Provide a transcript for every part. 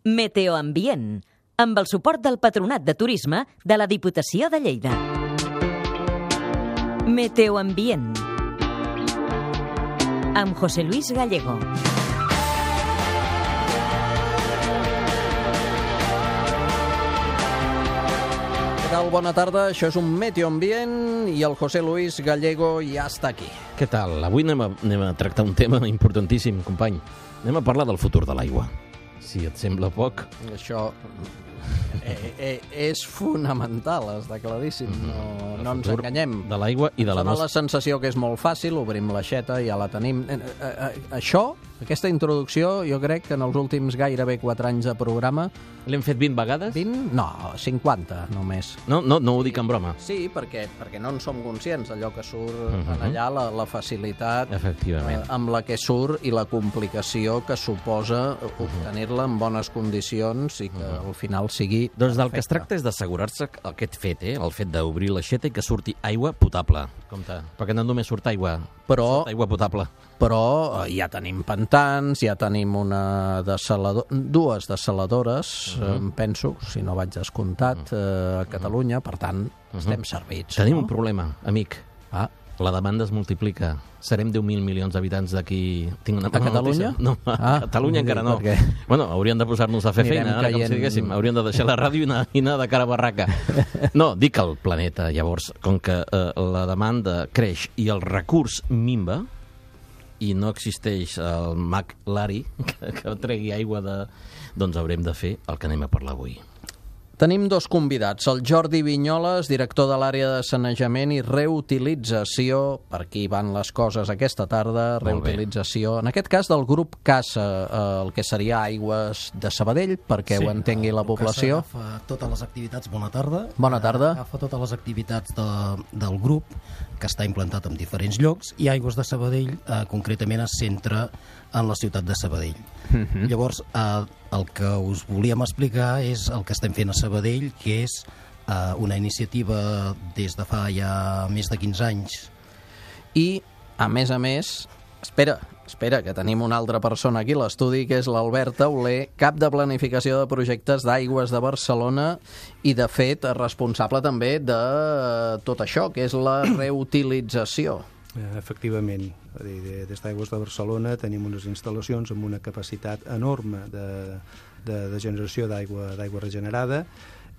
Meteoambient, amb el suport del Patronat de Turisme de la Diputació de Lleida. Meteoambient, amb José Luis Gallego. Què tal? Bona tarda, això és un Meteoambient i el José Luis Gallego ja està aquí. Què tal? Avui anem a tractar un tema importantíssim, company. Anem a parlar del futur de l'aigua. Si et sembla poc... Això és fonamental, està claríssim. No ens enganyem. De l'aigua i de la nostra... la sensació que és molt fàcil, obrim l'aixeta, ja la tenim. Aquesta introducció, jo crec que en els últims gairebé 4 anys de programa... L'hem fet 20 vegades? 20? No, 50 només. No ho dic en broma. Sí, perquè no en som conscients d'allò que surt allà, la facilitat amb la que surt i la complicació que suposa obtenir-la en bones condicions i que al final sigui Doncs del que es tracta és d'assegurar-se aquest fet, el fet d'obrir l'aixeta i que surti aigua potable. Compte, perquè no només surt aigua, surt aigua potable. Però ja tenim pantans, ja tenim dues dessaladores, penso, si no vaig descomptat, a Catalunya, per tant, estem servits. Tenim un problema, amic. La demanda es multiplica. Serem 10.000 milions d'habitants d'aquí... A Catalunya? No, a Catalunya encara no. Bueno, haurien de posar-nos a fer feina, com si diguéssim. Haurien de deixar la ràdio i anar de cara a barraca. No, dic el planeta, llavors, com que la demanda creix i el recurs minva, i no existeix el mag Larry que tregui aigua doncs haurem de fer el que anem a parlar avui. Tenim dos convidats, el Jordi Vinyoles, director de l'àrea de sanejament i reutilització, per aquí van les coses aquesta tarda, reutilització, en aquest cas del grup CASA, el que seria Aigües de Sabadell, perquè ho entengui la població. CASA agafa totes les activitats, bona tarda. Bona tarda. Agafa totes les activitats del grup, que està implantat en diferents llocs, i Aigües de Sabadell concretament es centra en la ciutat de Sabadell. Llavors, el que us volíem explicar és el que estem fent a Sabadell, que és una iniciativa des de fa ja més de 15 anys. I, a més, espera, que tenim una altra persona aquí a l'estudi, que és l'Albert Tauler, cap de planificació de projectes d'Aigües de Barcelona i, de fet, responsable també de tot això, que és la reutilització. Efectivament, des d'Aigües de Barcelona tenim unes instal·lacions amb una capacitat enorme de generació d'aigua regenerada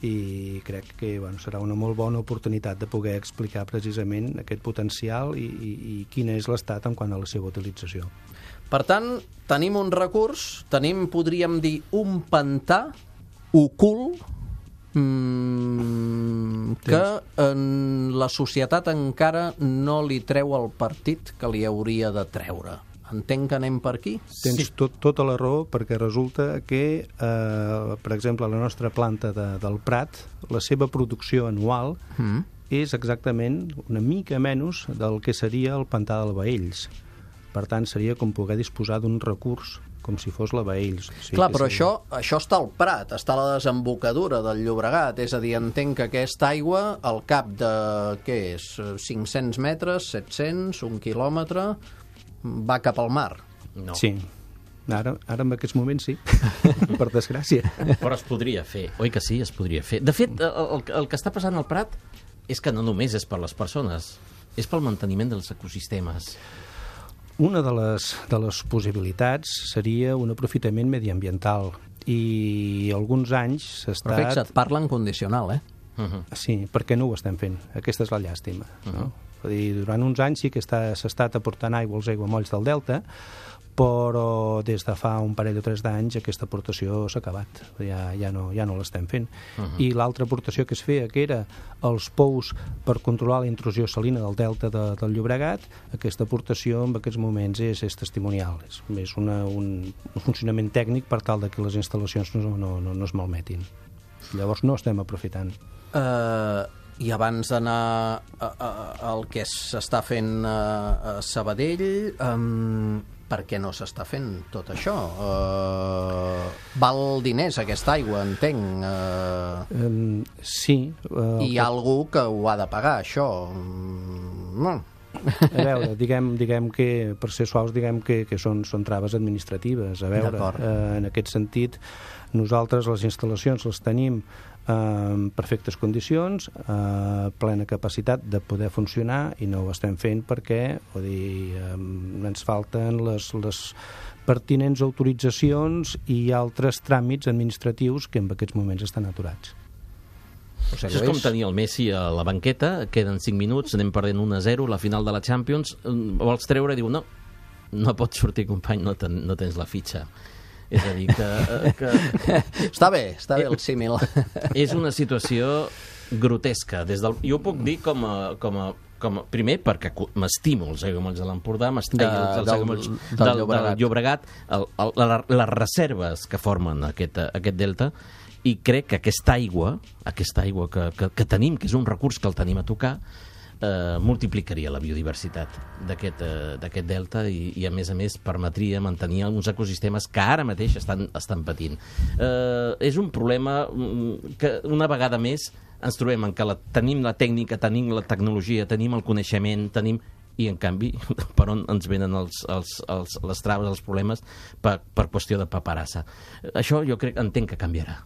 i crec que serà una molt bona oportunitat de poder explicar precisament aquest potencial i quin és l'estat en quant a la seva utilització. Per tant, tenim un recurs, podríem dir, un pantà ocult que en la societat encara no li treu el partit que li hauria de treure. Entenc que anem per aquí? Tens tota la raó, perquè resulta que, per exemple, la nostra planta del Prat, la seva producció anual és exactament una mica menys del que seria el pantà del Baells. Per tant, seria com poder disposar d'un recurs com si fos la Baells. Clar, però això està al Prat, està a la desembocadura del Llobregat, és a dir, entenc que aquesta aigua, al cap de, què és, 500 metres, 700, 1 quilòmetre, va cap al mar. No. Sí, ara en aquests moments sí, per desgràcia. Però es podria fer, oi que sí? Es podria fer. De fet, el que està passant al Prat és que no només és per les persones, és pel manteniment dels ecosistemes. Una de les possibilitats seria un aprofitament mediambiental i alguns anys s'ha estat... Però fixa't, parla en condicional, Sí, perquè no ho estem fent. Aquesta és la llàstima. No? Durant uns anys sí que s'ha estat aportant aigua als aiguamolls del Delta, però des de fa un parell o 3 d'anys aquesta aportació s'ha acabat, ja no l'estem fent. I l'altra aportació que es feia, que era els pous per controlar la intrusió salina del delta del Llobregat, aquesta aportació en aquests moments és testimonial, és un funcionament tècnic per tal que les instal·lacions no es malmetin. Llavors no estem aprofitant. I abans d'anar al que s'està fent a Sabadell, per què no s'està fent tot això? Val diners aquesta aigua, entenc. Sí. Hi ha algú que ho ha de pagar, això. A veure, diguem que, per ser suaus, diguem que són traves administratives. A veure, en aquest sentit, nosaltres les instal·lacions les tenim en perfectes condicions, plena capacitat de poder funcionar, i no ho estem fent perquè ens falten les pertinents autoritzacions i altres tràmits administratius que en aquests moments estan aturats. Això és com tenir el Messi a la banqueta, queden 5 minuts, anem perdent 1-0, la final de la Champions, vols treure i diu no pots sortir, company, no tens la fitxa. És a dir, que... Està bé el símil. És una situació grotesca. Jo ho puc dir com a primer, perquè m'estimo els aiguamolls de l'Empordà, m'estimo els aiguamolls del Llobregat, les reserves que formen aquest delta, i crec que aquesta aigua que tenim, que és un recurs que el tenim a tocar, multiplicaria la biodiversitat d'aquest delta i a més permetria mantenir uns ecosistemes que ara mateix estan patint. És un problema que una vegada més ens trobem en que tenim la tècnica, tenim la tecnologia, tenim el coneixement, i en canvi per on ens venen les traves, els problemes per qüestió de paperassa. Això jo entenc que canviarà.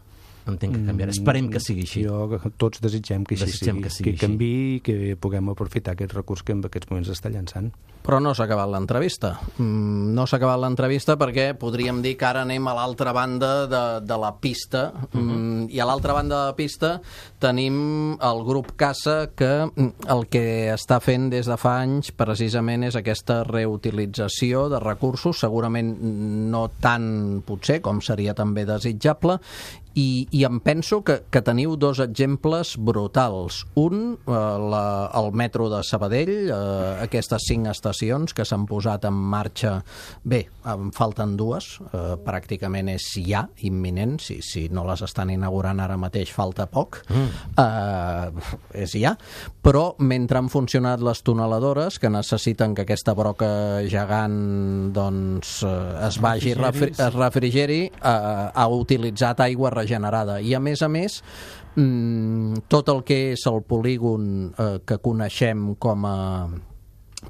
Esperem que sigui així. Tots desitgem que així sigui, que canviï i que puguem aprofitar aquest recurs que en aquests moments està llançant. Però no s'ha acabat l'entrevista. No s'ha acabat l'entrevista perquè podríem dir que ara anem a l'altra banda de la pista, i a l'altra banda de la pista tenim el grup Casa, que el que està fent des de fa anys precisament és aquesta reutilització de recursos, segurament no tant potser com seria també desitjable, i em penso que teniu dos exemples brutals. Un, el metro de Sabadell, aquestes 5 estacions que s'han posat en marxa. Bé, en falten 2, pràcticament és ja imminent, si no les estan inaugurant ara mateix falta poc, és ja, però mentre han funcionat les tuneladores, que necessiten que aquesta broca gegant es vagi, es refrigeri, ha utilitzat aigua regenerada, i a més tot el que és el polígon que coneixem com a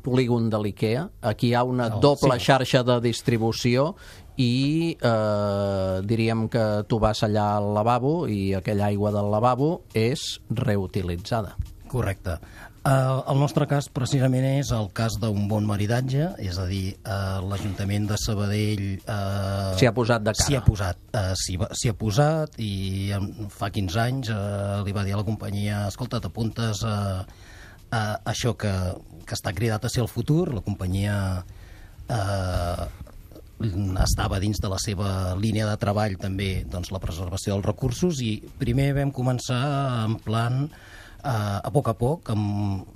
polígon de l'IKEA, aquí hi ha una doble xarxa de distribució i diríem que tu vas allà al lavabo i aquella aigua del lavabo és reutilitzada. Correcte. El nostre cas precisament és el cas d'un bon maridatge, és a dir, l'Ajuntament de Sabadell s'hi ha posat de cara. S'hi ha posat, i fa 15 anys li va dir a la companyia: escolta, t'apuntes a això que està cridat a ser el futur. La companyia estava dins de la seva línia de treball també la preservació dels recursos, i primer vam començar en plan a poc,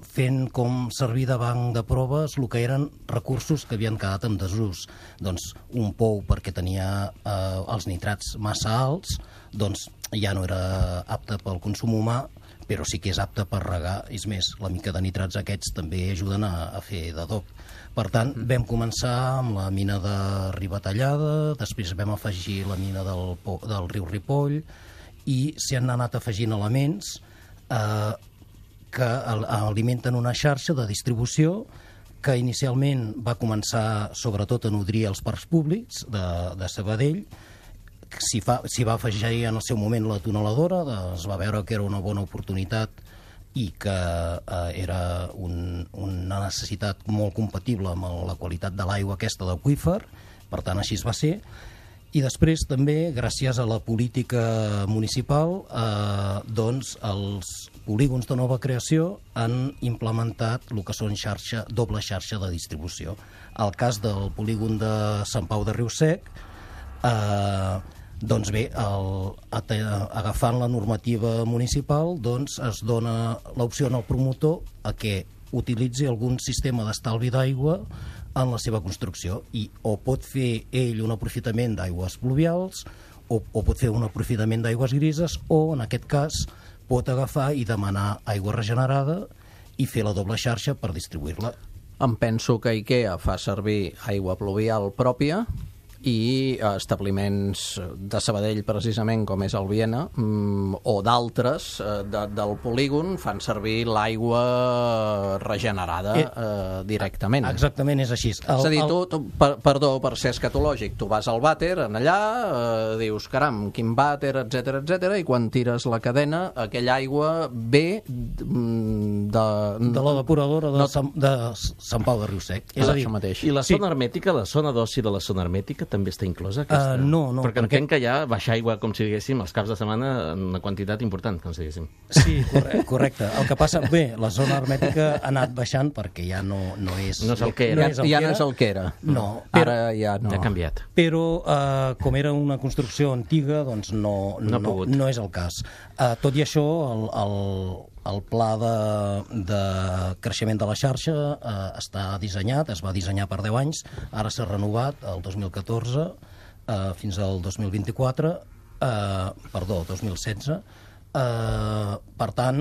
fent com servir de banc de proves el que eren recursos que havien quedat en desús. Un pou perquè tenia els nitrats massa alts, ja no era apte pel consum humà, però sí que és apte per regar. És més, la mica de nitrats aquests també ajuden a fer d'adob. Per tant, vam començar amb la mina de Ribatallada, després vam afegir la mina del riu Ripoll, i s'hi han anat afegint elements que alimenten una xarxa de distribució que inicialment va començar sobretot a nodrir els parcs públics de Sabadell. S'hi va afegir en el seu moment la tuneladora, es va veure que era una bona oportunitat i que era una necessitat molt compatible amb la qualitat de l'aigua aquesta d'aqüífer, per tant així es va ser. I després també, gràcies a la política municipal, els polígons de nova creació han implementat el que són doble xarxa de distribució. El cas del polígon de Sant Pau de Riu-Sec, agafant la normativa municipal, es dona l'opció al promotor a que utilitzi algun sistema d'estalvi d'aigua en la seva construcció, i o pot fer ell un aprofitament d'aigües pluvials o pot fer un aprofitament d'aigües grises, o en aquest cas pot agafar i demanar aigua regenerada i fer la doble xarxa per distribuir-la. Em penso que IKEA fa servir aigua pluvial pròpia i establiments de Sabadell, precisament, com és el Viena, o d'altres del polígon, fan servir l'aigua regenerada directament. Exactament, és així. És a dir, perdó, per ser escatològic, tu vas al vàter, allà, dius, caram, quin vàter, etc, i quan tires la cadena, aquella aigua ve de la depuradora de Sant Pau de Riusec. És a dir, això mateix. I la zona hermètica, la zona d'oci de la zona hermètica també està inclosa? No. Perquè entenc que ja baixa aigua, com si diguéssim, els caps de setmana en una quantitat important, com si diguéssim. Sí, correcte. El que passa, la zona hermètica ha anat baixant perquè ja no és... No és el que era. Ja no és el que era. No. Ara ja no. Ja ha canviat. Però, com era una construcció antiga, doncs no és el cas. Tot i això, el pla de creixement de la xarxa està dissenyat, es va dissenyar per 10 anys, ara s'ha renovat el 2014 fins al 2024, 2016. Per tant,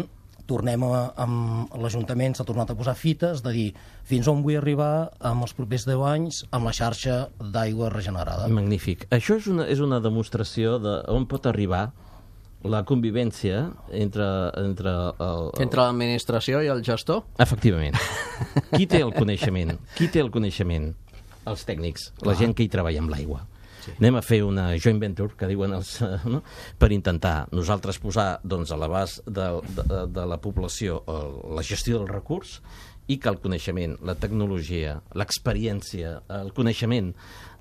amb l'Ajuntament s'ha tornat a posar fites de dir fins on vull arribar amb els propers 10 anys amb la xarxa d'aigua regenerada. Magnífic. Això és una demostració d'on pot arribar la convivència entre l'administració i el gestor? Efectivament. Qui té el coneixement? Els tècnics, la gent que hi treballa amb l'aigua. Sí. Anem a fer una joint venture, que diuen per intentar nosaltres posar a l'abast de la població la gestió del recurs i que el coneixement, la tecnologia, l'experiència, el coneixement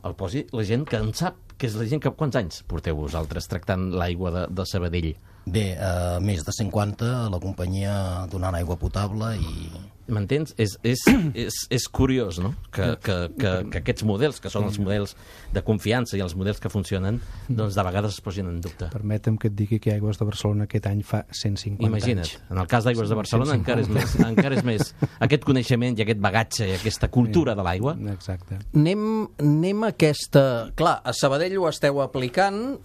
el posi la gent que en sap, que és la gent que... Quants anys porteu vosaltres tractant l'aigua de Sabadell? Bé, més de 50 a la companyia donant aigua potable i... M'entens? És curiós, no? Que aquests models, que són els models de confiança i els models que funcionen, doncs de vegades es posin en dubte. Permetem que et digui que Aigües de Barcelona aquest any fa 150 Imagina't, anys. En el cas d'Aigües de Barcelona encara és més aquest coneixement i aquest bagatge i aquesta cultura de l'aigua. Exacte. Anem a aquesta... Clar, a Sabadell ho esteu aplicant,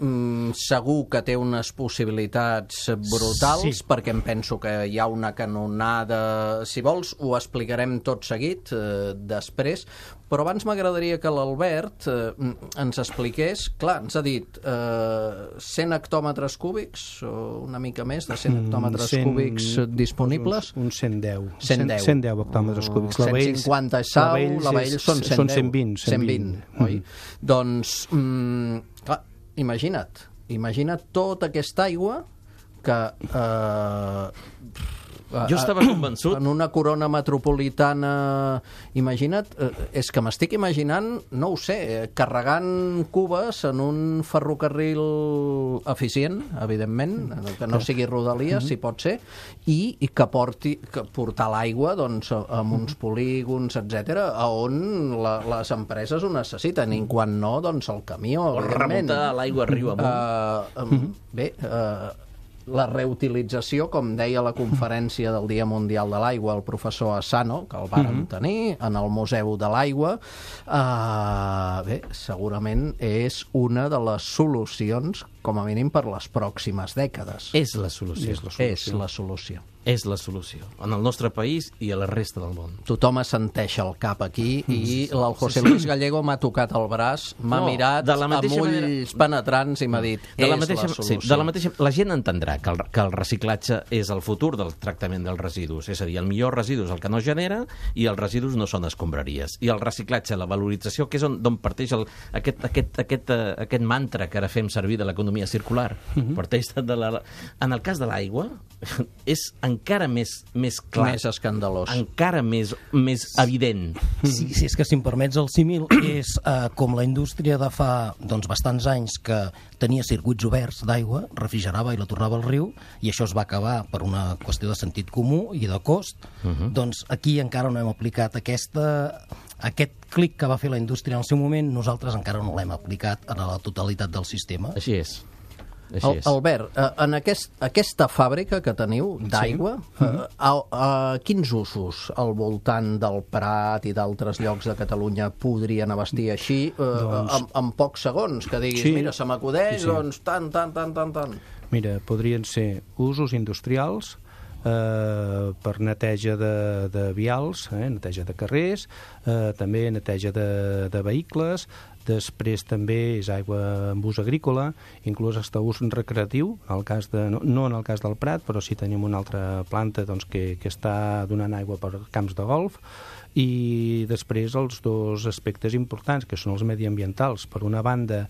segur que té unes possibilitats brutals, perquè em penso que hi ha una canonada, si vols, ho explicarem tot seguit després, però abans m'agradaria que l'Albert ens expliqués, clar, ens ha dit 100 hectòmetres cúbics, o una mica més de 100 hectòmetres cúbics disponibles. Uns 110. 110 hectòmetres cúbics. 150 és sau, la Baell són 110. 120. Oi? Doncs, clar, imagina't tota aquesta aigua que... Jo estava convençut... En una corona metropolitana, imagina't, és que m'estic imaginant, no ho sé, carregant cubes en un ferrocarril eficient, evidentment, que no sigui rodalies, si pot ser, i que portar l'aigua doncs, amb uns polígons, etc, on les empreses ho necessiten, i quan no, doncs el camió, evidentment. Remuntar l'aigua riu amunt. Bé, la reutilització, com deia la conferència del Dia Mundial de l'Aigua el professor Asano, que el vàrem tenir en el Museu de l'Aigua, bé, segurament és una de les solucions, com a mínim per les pròximes dècades. És la solució. És la solució. En el nostre país i a la resta del món. Tothom assenteix el cap aquí i el José Luis Gallego m'ha tocat el braç, m'ha mirat amb ulls penetrants i m'ha dit, és la solució. De la mateixa, la gent entendrà que el reciclatge és el futur del tractament dels residus. És a dir, el millor residu és el que no genera i els residus no són escombraries. I el reciclatge, la valorització, que és d'on parteix aquest mantra que ara fem servir de l'economia circular. Parteix en el cas de l'aigua, és encara més clar, més escandalós, encara més evident. Sí, és que si em permets el símil, és com la indústria de fa bastants anys que tenia circuits oberts d'aigua, refrigerava i la tornava al riu, i això es va acabar per una qüestió de sentit comú i de cost. Doncs aquí encara no hem aplicat aquest clic que va fer la indústria en el seu moment, nosaltres encara no l'hem aplicat a la totalitat del sistema. Així és. Albert, en aquesta fàbrica que teniu d'aigua, quins usos al voltant del Prat i d'altres llocs de Catalunya podrien abastir així en pocs segons? Que diguis, mira, se m'acudeix, doncs tant. Mira, podrien ser usos industrials, per neteja de vials, neteja de carrers, també neteja de vehicles, Després també és aigua amb ús agrícola, inclús hasta ús recreatiu, no en el cas del Prat, però sí tenim una altra planta que està donant aigua per camps de golf. I després els dos aspectes importants, que són els mediambientals. Per una banda,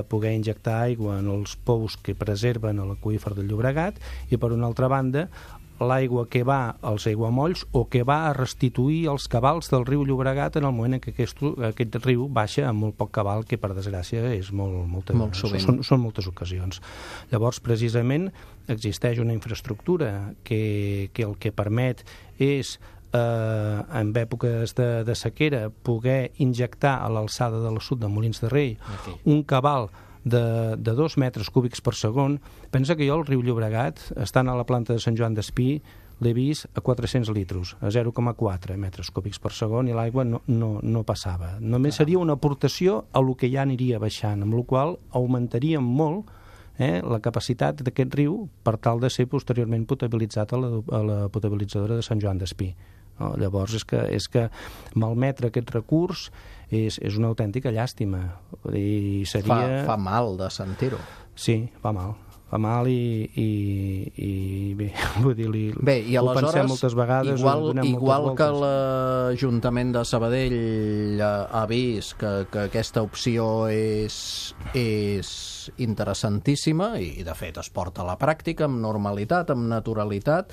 poder injectar aigua en els pous que preserven l'aqüífer del Llobregat, i per una altra banda, l'aigua que va als aiguamolls o que va a restituir els cabals del riu Llobregat en el moment en què aquest riu baixa amb molt poc cabal, que per desgràcia és molt sovint. Són moltes ocasions. Llavors, precisament, existeix una infraestructura que el que permet és en èpoques de sequera poder injectar a l'alçada de l'assut de Molins de Rei un cabal de 2 metres cúbics per segon. Pensa que jo al riu Llobregat, estant a la planta de Sant Joan d'Espí, l'he vist a 400 litros, a 0,4 metres cúbics per segon, i l'aigua no passava. Només seria una aportació a lo que ja aniria baixant, amb la qual augmentaríem molt la capacitat d'aquest riu per tal de ser posteriorment potabilitzat a la potabilitzadora de Sant Joan d'Espí. Llavors és que malmetre aquest recurs és una autèntica llàstima. Fa mal de sentir-ho. Sí, fa mal i bé, vull dir, i ho pensem moltes vegades. Igual que l'Ajuntament de Sabadell ha vist que aquesta opció és interessantíssima i de fet es porta a la pràctica amb normalitat, amb naturalitat.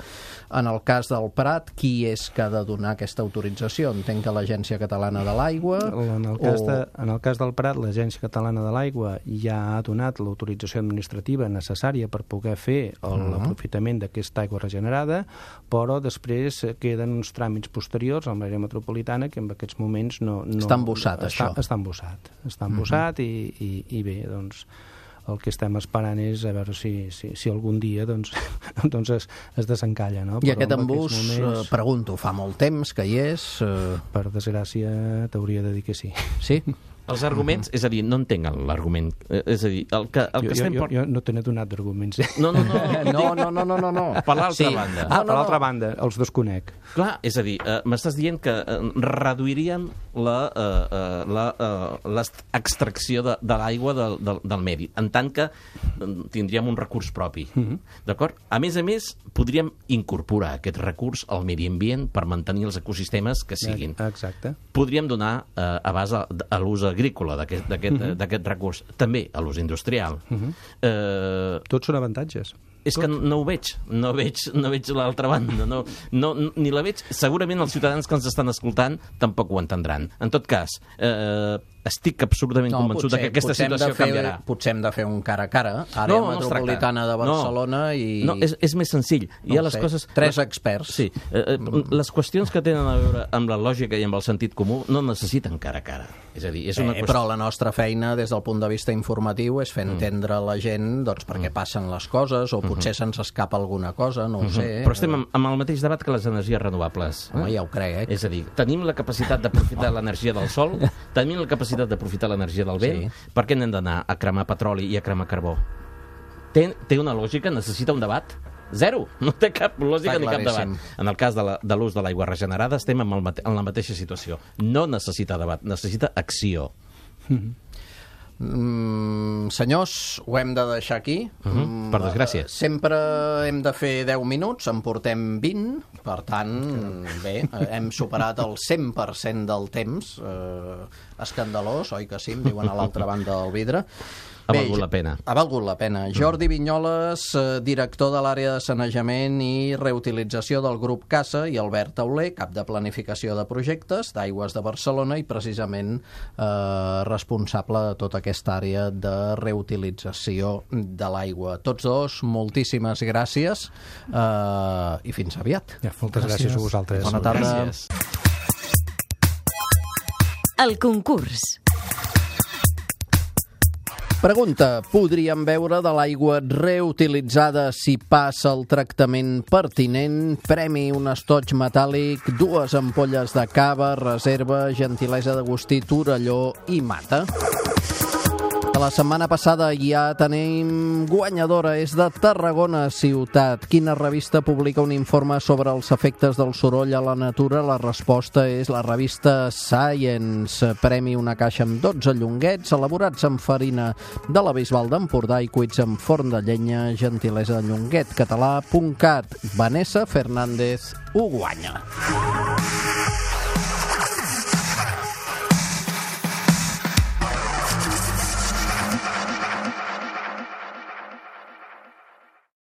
En el cas del Prat, qui és que ha de donar aquesta autorització? Entenc que l'Agència Catalana de l'Aigua... En el cas del Prat, l'Agència Catalana de l'Aigua ja ha donat l'autorització administrativa necessària per poder fer l'aprofitament d'aquesta aigua regenerada, però després queden uns tràmits posteriors a l'àrea metropolitana que en aquests moments no... Està embossat, això. Està embossat i bé, doncs el que estem esperant és a veure si algun dia doncs es desencalla, no? I aquest embús, pregunto, fa molt temps que hi és? Per desgràcia t'hauria de dir que sí. Sí? Els arguments, és a dir, no entenc l'argument. És a dir, el que estem... Jo no te n'he donat d'arguments. No. Per l'altra banda. Per l'altra banda, els desconec. Clar, és a dir, m'estàs dient que reduiríem l'extracció de l'aigua del medi, en tant que tindríem un recurs propi. D'acord? A més, podríem incorporar aquest recurs al medi ambient per mantenir els ecosistemes que siguin. Exacte. Podríem donar abast a l'ús agrícola d'aquest recurs, també a l'ús industrial. Tots són avantatges. És que no ho veig, no veig l'altra banda, ni la veig. Segurament els ciutadans que ens estan escoltant tampoc ho entendran. En tot cas, estic absolutament convençut que aquesta situació canviarà. Potser hem de fer un cara a cara, àrea metropolitana de Barcelona i... No, és més senzill. Hi ha les coses... 3 experts. Sí. Les qüestions que tenen a veure amb la lògica i amb el sentit comú no necessiten cara a cara. És a dir, és una qüestió... Però la nostra feina, des del punt de vista informatiu, és fer entendre a la gent per què passen les coses, o potser se'ns escapa alguna cosa, no ho sé. Però estem amb el mateix debat que les energies renovables. Home, ja ho crec. És a dir, tenim la capacitat d'aprofitar l'energia del sol, tenim la capacitat d'aprofitar l'energia del vent, per què n'hem d'anar a cremar petroli i a cremar carbó? Té una lògica? Necessita un debat? Zero! No té cap lògica ni cap debat. En el cas de l'ús de l'aigua regenerada estem en la mateixa situació. No necessita debat, necessita acció. Senyors, ho hem de deixar aquí. Per desgràcia. Sempre hem de fer 10 minuts, en portem 20, per tant, bé, hem superat el 100% del temps. Escandalós, oi que sí? Em diuen a l'altra banda del vidre. Ha valgut la pena. Ha valgut la pena. Jordi Vinyoles, director de l'àrea de sanejament i reutilització del grup CASA, i Albert Tauler, cap de planificació de projectes d'Aigües de Barcelona i precisament responsable de tota aquesta àrea de reutilització de l'aigua. Tots dos, moltíssimes gràcies i fins aviat. Moltes gràcies a vosaltres. Bona tarda. Gràcies. El concurs. Pregunta, podríem beure de l'aigua reutilitzada si passa el tractament pertinent? Premi, un estoig metàl·lic, 2 ampolles de cava, reserva, gentilesa d'Agustí, Torelló i Mata. De la setmana passada ja tenim guanyadora, és de Tarragona Ciutat. Quina revista publica un informe sobre els efectes del soroll a la natura? La resposta és la revista Science. Premi una caixa amb 12 llonguets elaborats amb farina de la Bisbal d'Empordà i cuits amb forn de llenya, gentilesa de llonguetcatalà.cat. Vanessa Fernández ho guanya.